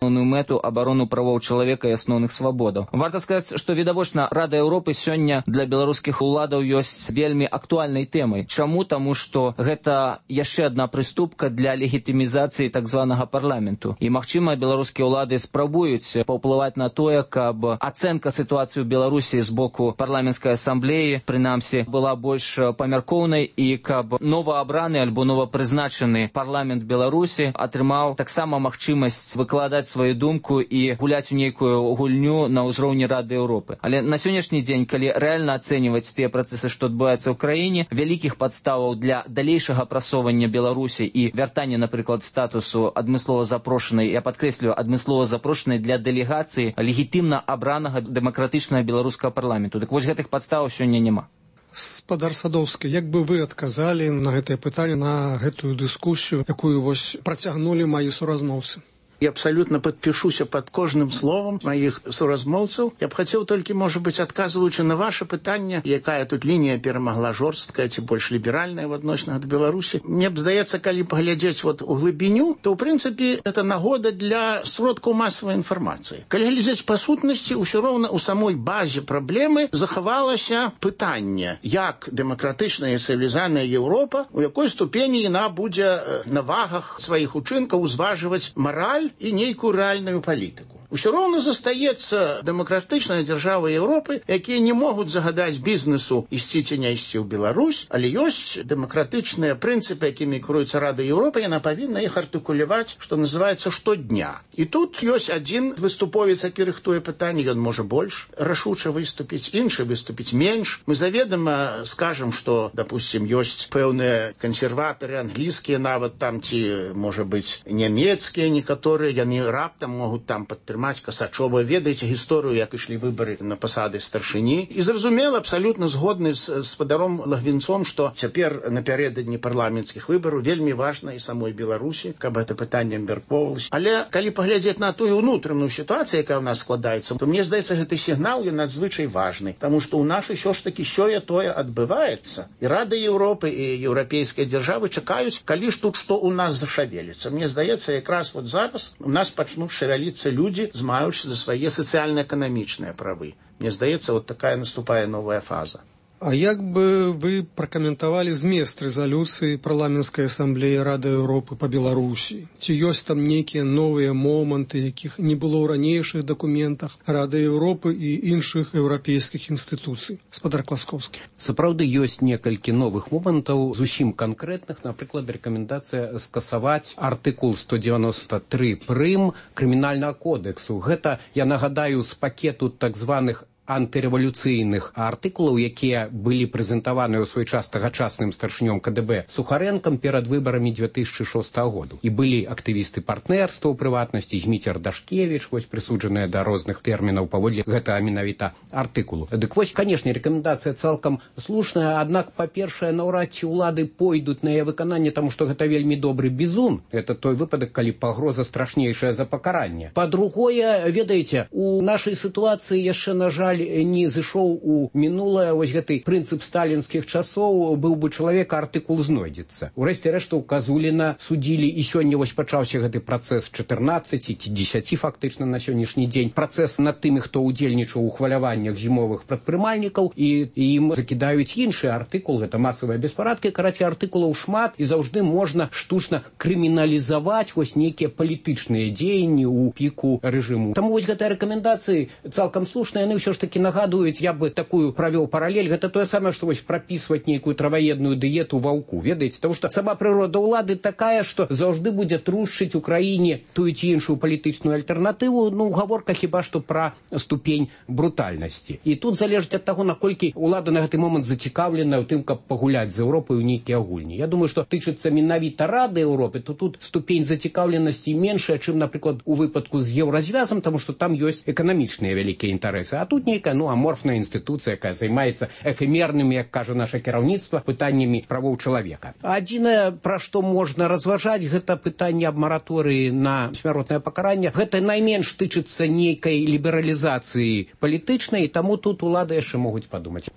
асноўную мэту абарону правоў чалавека і асноўных свабодаў. Варта сказаць, што відавочна Рада Еўропы сёння для беларускіх уладаў ёсць вельмі актуальнай тэмай. Чаму? Таму што гэта яшчэ адна прыступка для легітымізацыі так званага парламенту. І, магчыма, беларускія ўлады спрабуюць паўплываць на тое, каб ацэнка сітуацыі ў Беларусі з боку парламенцкай асамблеі, прынамсі, была больш памяркоўнай і каб новаабраны альбо новапрызначаны парламент Беларусі атрымаў таксама магчымасць выкладаць сваю думку і гуляць у нейкую гульню на ўзроўні Рады Еўропы. Але на сённяшні дзень, калі рэальна ацэньваць тыя працэсы, што адбываюцца ў краіне, вялікіх падставаў для далейшага прасоўвання Беларусі і вяртання, напрыклад, статусу адмыслова запрошанай, я падкрэслю, адмыслова запрошанай для дэлегацыі легітымна абранага дэмакратычнага беларускага парламенту. Дык вось гэтых падставаў сёння няма. Спадар Садоўскі, як бы вы адказалі на гэтае пытанне, на гэтую дыскусію, якую вось працягнулі маі суразмоўцы? Я абсолютно подпишуся под кожным словом моих суразмоўцаў. Я б хотел только, может быть, отказываючи на ваше пытанне, якая тут линия перамагла жорсткая ці больш ліберальная в адносінах до Беларусі. Мне б здаецца, калі паглядзець вот у глыбіню, то, в принципе, это нагода для сродкаў масавай інфармацыі. Калі глядзець па сутнасці, ўсё роўна у самой базе праблемы захавалася пытанне, як дэмакратычная і цывілізаваная Еўропа, у якой ступені яна будзе на вагах сваіх учынкаў узважваць мараль і нейкую рэальную палітыку. Усё роўна застаецца дэмакратычная дзяржава Еўропы, якія не могуць загадаць бізнесу ісці ці не ісці ў Беларусь, але ёсць дэмакратычныя прынцыпы, якімі кіруецца Рада Еўропы, яна павінна іх артыкуляваць, што называецца, штодня. І тут ёсць адзін выступовец, які рыхтуе пытанне, ён можа больш рашуча выступіць, іншы выступіць менш. Мы заведама скажам, што, допустим, ёсць пэўныя кансерватары, англійскія нават там, ці, можа быць, нямецкія некаторыя, яны раптам могуць там падтрымаць Касачова. Ведаеце гісторыю, як ішлі выбары на пасады старшыні. І зразумела, абсалютна згодны з спадаром Лагвінцом, што цяпер напярэдадні парламенцкіх выбараў вельмі важна і самой Беларусі, каб гэта пытанне абмяркоўвалася. Але калі паглядзець на тую ўнутраную сітуацыю, якая ў нас складаецца, то мне здаецца, гэты сігнал ён надзвычай важны, таму што ў нас усё ж такі сёе-тое адбываецца. І Рада Еўропы і еўрапейскія дзяржавы чакаюць, калі ж тут што ў нас зашавеліцца. Мне здаецца, якраз вот зараз у нас пачнуць шавяліцца людзі, змаючы за свае сацыяльна-эканамічныя правы. Мне здаецца, вот такая наступае новая фаза. А як бы вы пракаментавалі змест рэзалюцыі парламенцкай асамблеі Рады Еўропы па Беларусі? Ці ёсць там нейкія новыя моманты, якіх не было ў ранейшых дакументах Рады Еўропы і іншых еўрапейскіх інстытуцый? Спадар Класкоўскі. Сапраўды ёсць некалькі новых момантаў, зусім канкрэтных, напрыклад, рэкамендацыя скасаваць артыкул 193 прым крымінальнага кодексу. Гэта, я нагадаю, з пакету так званых антырэвалюцыйных артыкулаў, якія былі прэзентаваны ў свой час тагачасным старшынём КДБ Сухарэнкам перад выбарамі 2006 году. І былі актывісты партнерства, у прыватнасці Зміцер Дашкевіч, вось прысуджаныя да розных тэрмінаў паводле гэтага менавіта артыкулу. Дык вось, канешне, рэкамендацыя цалкам слушная, аднак, па-першае, наўрад ці ўлады пойдуць на яе выкананне, таму што гэта вельмі добры бізун. Это той выпадак, калі пагроза страшнейшая за пакаранне. Па-другое, ведаеце, у нашай сітуацыі яшчэ, на жаль, не зышоў у мінулае вось гэты прынцып сталінскіх часоў, быў бы чалавек, артыкул знойдзецца. Урэшце рэшта, у Казуліна судзілі, і сёння вось пачаўся гэты працэс 14 ці 10 фактычна на сённяшні дзень. Працэс над тымі, хто ўдзельнічаў у хваляваннях зімовых прадпрымальнікаў, і ім закідаюць іншы артыкул, гэта масавыя беспарадкі. Карацей, артыкулаў шмат, і заўжды можна штучна крыміналізаваць вось нейкія палітычныя дзеянні ў піку рэжыму. Таму вось гэтыя рэкамендацыі цалкам слушныя, яны ўсё ж таки нагадуюць, я бы такую правёў паралель, гэта тое самае, што вось прапісваць нейкую траваедную дыету ваўку, ведаеце, таму што сама прырода ўлады такая, што заўжды будзе трушчыць у краіне тую ці іншую палітычную альтэрнатыву, ну, гаворка хіба што пра ступень брутальнасці. І тут залежыць ад таго, наколькі ўлада на гэты момант зацікаўлена ў тым, каб пагуляць з Еўропай у нейкія гульні. Я думаю, што тычыцца менавіта Рады Еўропы, то тут ступень зацікаўленасці меншая, чым, напрыклад, у выпадку з еўразвязам, таму што там ёсць эканамічныя вялікія інтарэсы, а тут нейкая, ну, аморфная інстытуцыя, якая займаецца эфемернымі, як кажа наша кіраўніцтва, пытаннямі правоў чалавека. Адзінае, пра што можна разважаць, гэта пытанне аб мараторыі на смяротнае пакаранне. Гэта найменш тычыцца нейкай лібералізацыі палітычнай, і таму тут улады яшчэ могуць падумаць.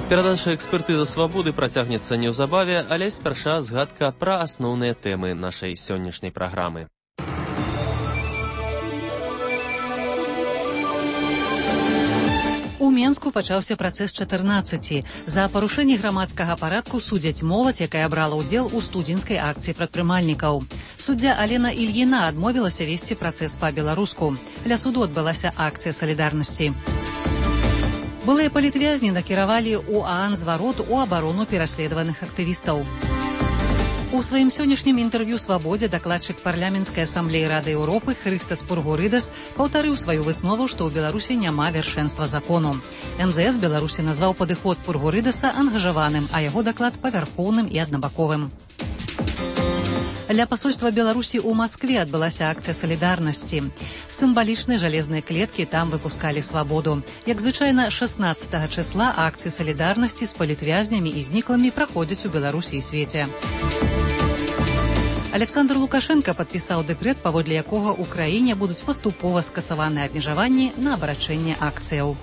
Перадача экспертызы свабоды працягнецца неўзабаве, але спярша згадка пра асноўныя тэмы нашай сённяшняй праграмы. У Менску пачаўся працэс 14. За парушэнне грамадскага парадку судзяць моладзь, якая брала ўдзел у студзеньскай акцыі прадпрымальнікаў. Суддзя Алена Ільіна адмовілася весці працэс па-беларуску. Ля суду адбылася акцыя салідарнасці. Былыя палітвязні накіравалі ў ААН зварот у абарону пераследаваных актывістаў. У сваім сённяшнім інтэрв'ю «Свабодзе» дакладчык парламенцкай асамблеі Рады Еўропы Хрыстас Пургурыдас паўтарыў сваю выснову, што ў Беларусі няма вяршэнства закону. МЗС Беларусі назваў падыход Пургурыдаса ангажаваным, а яго даклад павярхоўным і аднабаковым. Ля пасольства Беларусі ў Маскве адбылася акцыя салідарнасці. З сімвалічнай жалезнай клеткі там выпускалі свабоду. Як звычайна, 16 числа акцыі салідарнасці з палітвязнямі і зніклымі праходзяць у Беларусі і свеце. Александр Лукашенко падпісаў дэкрэт, паводле якога ў краіне будуць паступова скасаваныя абмежаванні на абарачэнне акцыяў.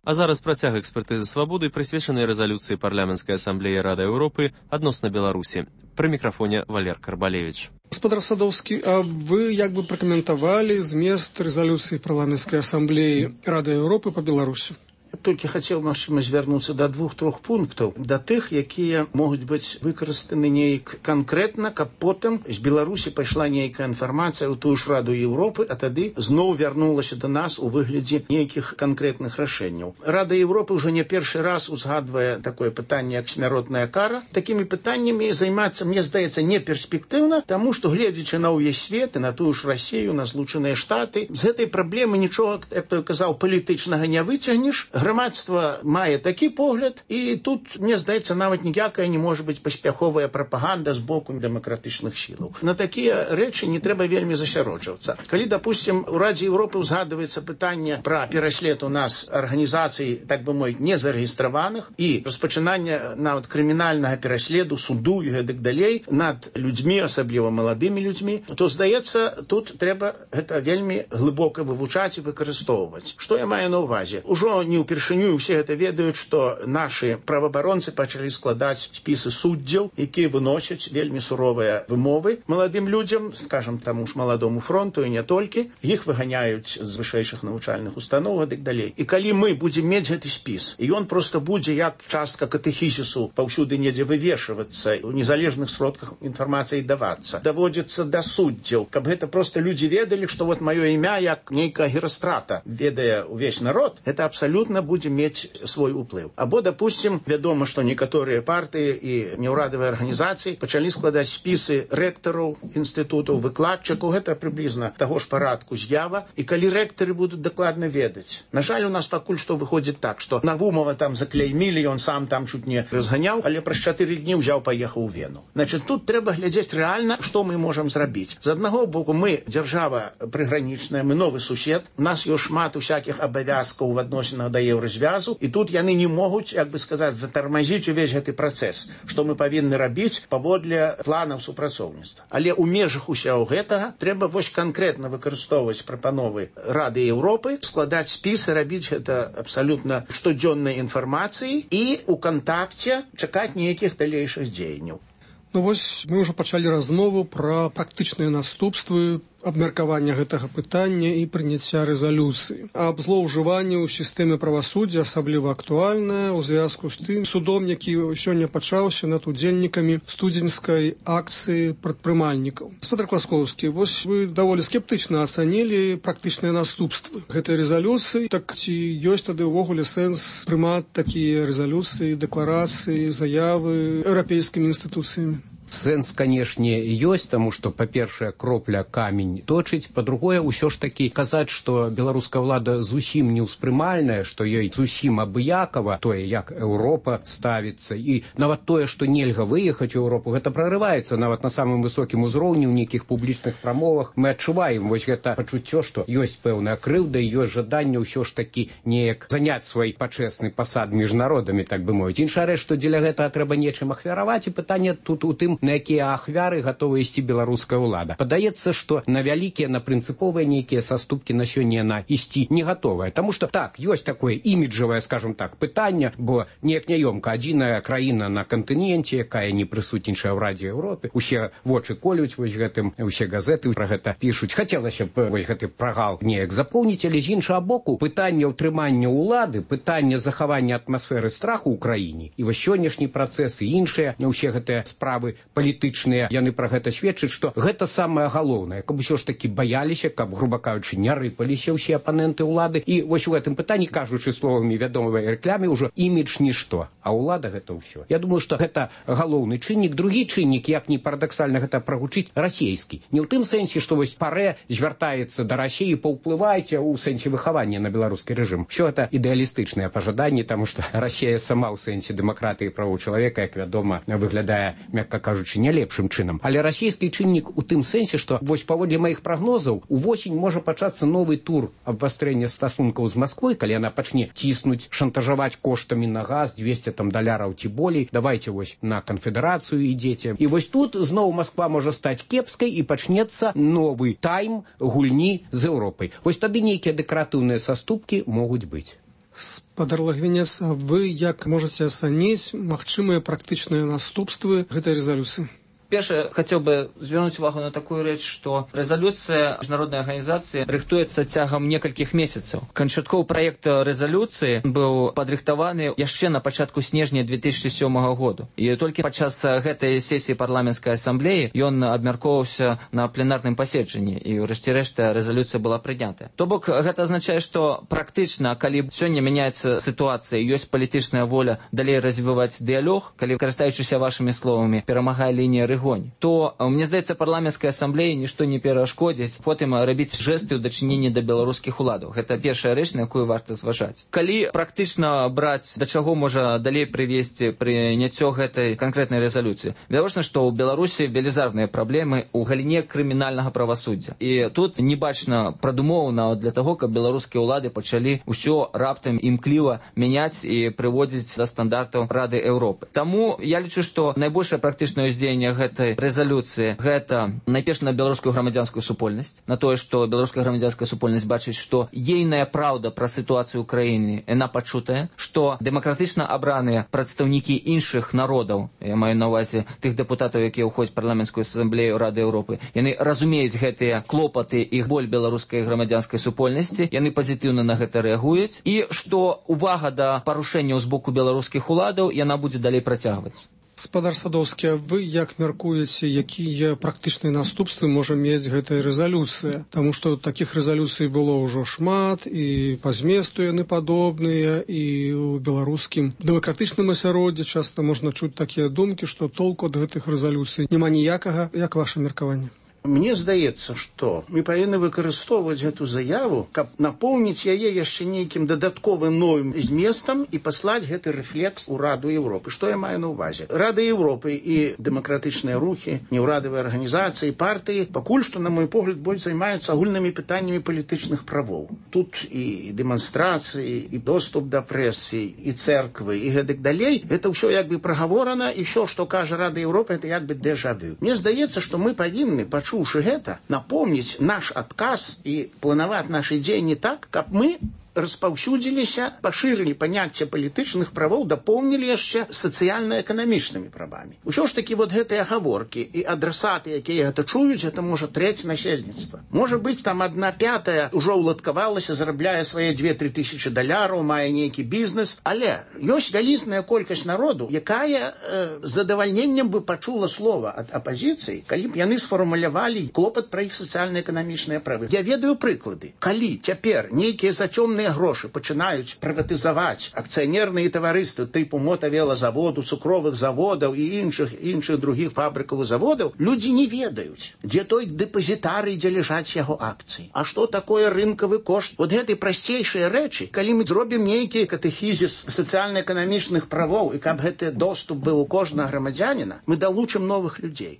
А зараз працяг экспертызы свабоды, прысвечанай рэзалюцыі парламенцкай асамблеі Рады Еўропы адносна Беларусі. Пры мікрафоне Валер Карбалевіч. Господар Садовскі, а вы як бы пракаментавалі змест рэзалюцыі парламенцкай асамблеі Рады Еўропы па Беларусі? Я толькі хацеў, магчыма, звярнуцца да 2-3 пунктаў, да тых, якія могуць быць выкарыстаны нейк канкрэтна, каб потым з Беларусі пайшла нейкая інфармацыя ў тую ж Раду Еўропы, а тады зноў вярнулася да нас у выглядзе нейкіх канкрэтных рашэнняў. Рада Еўропы ўжо не першы раз узгадвае такое пытанне, як смяротная кара. Такімі пытаннямі займацца, мне здаецца, не перспектыўна, таму што, гледзячы на ўвесь свет і на тую ж Расію, на Злучаныя Штаты, з гэтай праблемы нічога, як той казаў, палітычнага не выцягнеш. Грамадства мае такі погляд, і тут, мне здаецца, нават ніякая не можа быць паспяховая прапаганда з боку дэмакратычных сілаў. На такія рэчы не трэба вельмі засяроджвацца. Калі, допустим, у Радзе Еўропы ўзгадваецца пытанне пра пераслед у нас арганізацый, так бы мовіць, незарэгістраваных і распачынання нават крымінальнага пераследу, суду і гэтак далей над людзьмі, асабліва маладымі людзьмі, то, здаецца, тут трэба гэта вельмі глыбока вывучаць і выкарыстоўваць. Што я маю на ўвазе? Ужо не ўпершыню усе гэта ведаюць, што нашы праваабаронцы пачалі складаць спісы суддзяў, якія выносяць вельмі суровыя вымовы маладым людзям, скажам, таму ж маладому фронту і не толькі. Іх выганяюць з вышэйшых навучальных устаноў і так далей. І калі мы будзем мець гэты спіс, і ён проста будзе як частка катэхізісу паўсюды недзе вывешвацца, у незалежных сродках інфармацыі давацца, даводзіцца да суддзяў, каб гэта проста людзі ведалі, што вот маё імя як нейкая Герастрата ведае ўвесь народ, гэта абсалютна будзе мець свой уплыў. Або, допустим, вядома, што некаторыя партыі і неўрадавыя арганізацыі пачалі складаць спісы рэктараў інстытутаў, выкладчыкаў, гэта прыблізна таго ж парадку з'ява, і калі рэктары будуць дакладна ведаць. На жаль, у нас пакуль што выходзіць так, што Навумова там заклеймілі, ён сам там чуть не разганяў, але праз 4 дні ўзяў, паехаў у Вену. Значит, тут трэба глядзець рэальна, што мы можам зрабіць. З аднаго боку, мы дзяржава прыгранічная, мы новы сусед, у нас ёсць шмат усякіх абавязкаў в адносінах да еўразвязу, і тут яны не могуць, як бы сказаць, затармазіць увесь гэты працэс, што мы павінны рабіць паводле планаў супрацоўніцтва. Але ў межах усяго гэтага трэба вось канкрэтна выкарыстоўваць прапановы Рады Еўропы, складаць спісы, рабіць гэта абсалютна штодзённай інфармацыі і ў кантакце чакаць нейкіх далейшых дзеянняў. Ну вось мы ўжо пачалі размову пра практычныя наступствы абмеркавання гэтага пытання і прыняцця рэзалюцыі. Аб злоўжыванні ў сістэме правасуддзя асабліва актуальнае ў звязку з тым судом, які сёння пачаўся над удзельнікамі студзеньскай акцыі прадпрымальнікаў. Господар Класкоўскі, вось вы даволі скептычна ацанілі практычныя наступствы гэтай рэзалюцыі. Так ці ёсць тады ўвогуле сэнс прымаць такія рэзалюцыі, дэкларацыі, заявы еўрапейскімі інстытуцыямі? Сэнс, канешне, ёсць, таму што, па-першае, кропля камень точыць, па-другое, ўсё ж такі казаць, што беларуская ўлада зусім неўспрымальная, што ёй зусім абыякава тое, як Еўропа ставіцца, і нават тое, што нельга выехаць у Еўропу, гэта прарываецца нават на самым высокім узроўні ў нейкіх публічных прамовах. Мы адчуваем вось гэта пачуццё, што ёсць пэўная крыўда і ёсць жаданне ўсё ж такі неяк заняць свой пачэсны пасад між народамі, так бы мовіць. Іншая рэч, што дзеля гэтага трэба нечым ахвяраваць, і пытанне тут у тым, на якія ахвяры гатова ісці беларуская ўлада. Падаецца, што на вялікія, на прынцыповыя нейкія саступкі на сёння яна ісці не гатовая. Таму што так, ёсць такое іміджавае, скажем так, пытанне, бо неяк няёмка адзіная краіна на кантыненце, якая не прысутнічае ў Радзе Еўропы. Усе вочы колюць вось гэтым, усе газеты пра гэта пішуць. Хацелася б вось гэты прагал неяк запоўніць, але з іншага боку, пытанне ўтрымання ўлады, пытанне захавання атмасферы страху ў краіне, і вось сённяшні працэс і іншыя, усе гэтыя справы палітычныя, яны пра гэта сведчаць, што гэта самае галоўнае, каб усё ж такі баяліся, каб, груба кажучы, не рыпаліся ўсе апаненты ўлады. І вось у гэтым пытанні, кажучы словамі вядомай рэкламы, ўжо імідж нішто, а ўлада гэта ўсё. Я думаю, што гэта галоўны чыннік. Другі чыннік, як не парадаксальна гэта прагучыць, расійскі. Не ў тым сэнсе, што вось парэ звяртаецца да Расіі, паўплывайце ў сэнсе выхавання на беларускі рэжым. Усё гэта ідэалістычныя пажаданні, таму што Расія сама ў сэнсе дэмакратыі і правоў чалавека, як вядома, выглядае, мякка кажучы, не лепшым чынам. Але расійскі чыннік у тым сэнсе, што вось паводле маіх прагнозаў увосень можа пачацца новы тур абвастрэння стасункаў з Масквой, калі яна пачне ціснуць, шантажаваць коштамі на газ, 200 даляраў ці болей. Давайте вось на канфедэрацыю ідзеце. І вось тут зноў Масква можа стаць кепскай і пачнецца новы тайм гульні з Еўропай. Вось тады нейкія дэкаратыўныя саступкі могуць быць. Спадар Лагвінец, вы як можаце ацаніць магчымыя практычныя наступствы гэтай рэзалюцыі? Перше, хотел бы звернуть увагу на такую речь, что резолюция международной организации рыхтуецца цягам некалькіх месяцаў. Канчатковы проект резолюции был падрыхтаваны яшчэ на пачатку снежня 2007 году. И только падчас гэтай сессии парламентской ассамблеи ён абмяркоўваўся на пленарным паседжанні, и ўрэшце рэшта резолюция была прынята. То бок, гэта азначае, что практычна, калі сёння мяняецца ситуация, ёсць палітычная воля далей развіваць дыялог, калі, карыстаючыся вашими словамі, перамагае лінія рэгулярнасці, то, мне здаецца, парламенцкай асамблеі нішто не перашкодзіць потым рабіць жэсты ў дачыненні да беларускіх уладаў. Гэта першая рэч, на якую варта зважаць. Калі практычна браць, да чаго можа далей прывесці прыняццё гэтай канкрэтнай рэзалюцыі? Відавочна, што ў Беларусі велізарныя праблемы ў галіне крымінальнага правасуддзя. І тут не бачна прадумоў нават для таго, каб беларускія ўлады пачалі ўсё раптам імкліва мяняць і прыводзіць да стандартаў Рады Еўропы. Таму я лічу, што найбольшае практычнае ўздзеянне гэтай рэзалюцыі гэта найперш на беларускую грамадзянскую супольнасць, на тое, што беларуская грамадзянская супольнасць бачыць, што ейная праўда пра сітуацыю ў краіне яна пачутая, што дэмакратычна абраныя прадстаўнікі іншых народаў, я маю на ўвазе тых дэпутатаў, якія ўходзяць парламенцкую асамблею Рады Еўропы, яны разумеюць гэтыя клопаты і боль беларускай грамадзянскай супольнасці, яны пазітыўна на гэта рэагуюць, і што увага да парушэнняў з боку беларускіх уладаў яна будзе далей працягваць. Спадар Садоўскі, вы як мяркуеце, якія практычныя наступствы можа мець гэтая рэзалюцыя? Таму што такіх рэзалюцый было ўжо шмат, і па зместу яны падобныя, і ў беларускім дэмакратычным асяроддзі часта можна чуць такія думкі, што толку ад гэтых рэзалюцый няма ніякага. Як ваша меркаванне? Мне здаецца, што мы павінны выкарыстоўваць гэту заяву, каб напоўніць яе яшчэ нейкім дадатковым новым зместам і паслаць гэты рэфлекс у Раду Еўропы. Што я маю на ўвазе? Рада Еўропы і дэмакратычныя рухі, неўрадавыя арганізацыі, партыі пакуль што, на мой погляд, больш займаюцца агульнымі пытаннямі палітычных правоў. Тут і дэманстрацыі, і доступ да прэсы, і цэрквы, і гэтак далей. Гэта ўсё як бы прагаворана, і ўсё, што кажа Рада Еўропы, гэта як бы дэжа-вю. Мне здаецца, што мы павінны пачуўшы гэта, напомніць наш адказ і планаваць нашы дзеянні так, каб мы распаўсюдзіліся, пашырылі паняцце палітычных правоў, дапоўнілі яшчэ сацыяльна-эканамічнымі правамі. Усё ж такі вот гэтыя гаворкі і адрасаты, якія гэта чуюць, гэта можа трэць насельніцтва. Можа быць, там 1/5 ўжо ўладкавалася, зарабляе свае 2-3 тысячы даляраў, мае нейкі бізнес, але ёсць вялізная колькасць народу, якая з задавальненнем бы пачула слова ад апазіцыі, калі б яны сфармулявалі клопат пра іх сацыяльна-эканамічныя правы. Я ведаю прыклады. Калі цяпер нейкія зацёмныя грошы пачынаюць прыватызаваць акцыянерныя таварыствы тыпу мотавелазаводу, цукровых заводаў і іншых другіх фабрыкаў і заводаў, людзі не ведаюць, дзе той дэпазітарый, дзе ляжаць яго акцыі. А што такое рынкавы кошт? Вот гэтай прасцейшыя рэчы, калі мы зробім нейкі катэхізіс сацыяльна-эканамічных правоў і каб гэты доступ быў у кожнага грамадзяніна, мы далучым новых людзей.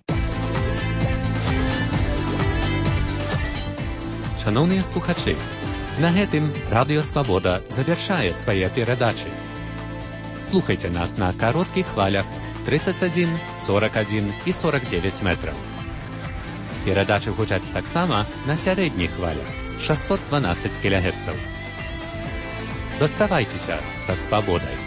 Шановныя слухачы, на гэтым Радыё Свабода завяршае свае перадачы. Слухайце нас на кароткіх хвалях 31, 41 і 49 метраў. Перадачы гучаць таксама на сярэдніх хвалях 612 кГц. Заставайцеся са свабодай.